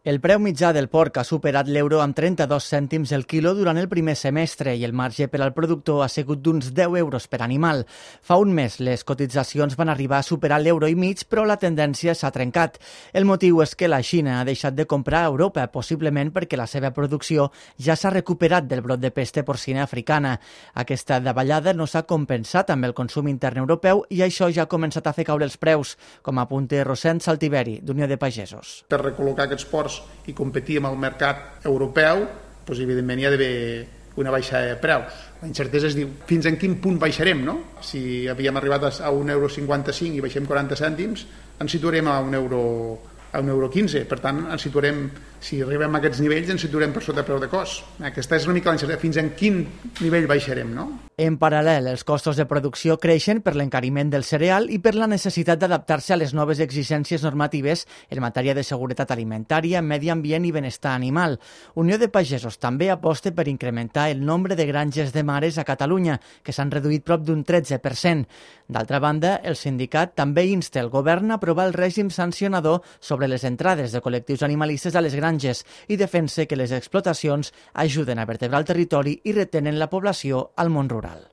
El preu mitjà del porc ha superat l'euro amb 32 cèntims el quilo durant el primer semestre i el marge per al productor ha sigut d'uns 10 euros per animal. Fa un mes les cotitzacions van arribar a superar l'euro i mig, però la tendència s'ha trencat. El motiu és que la Xina ha deixat de comprar a Europa, possiblement perquè la seva producció ja s'ha recuperat del brot de pesta porcina africana. Aquesta davallada no s'ha compensat amb el consum intern europeu i això ja ha començat a fer caure els preus, com apunta Rosent Saltiveri, d'Unió de Pagesos. Per recol·locar aquests porcs i competir amb el mercat europeu, doncs evidentment hi ha d'haver una baixada de preus. La incertesa es diu fins en quin punt baixarem, no? Si havíem arribat a 1,55 € i baixem 40 cèntims, ens situarem a 1,15 €. Per tant, ens situarem, si arribem a aquests nivells, ens situarem per sota preu de cost. Aquesta és una mica la incertesa, fins en quin nivell baixarem, no? En paral·lel, els costos de producció creixen per l'encariment del cereal i per la necessitat d'adaptar-se a les noves exigències normatives en matèria de seguretat alimentària, medi ambient i benestar animal. Unió de Pagesos també aposta per incrementar el nombre de granges de mares a Catalunya, que s'han reduït prop d'un 13%. D'altra banda, el sindicat també insta el govern a aprovar el règim sancionador sobre les entrades de col·lectius animalistes a les granges i defensa que les explotacions ajuden a vertebrar el territori i retenen la població al món rural.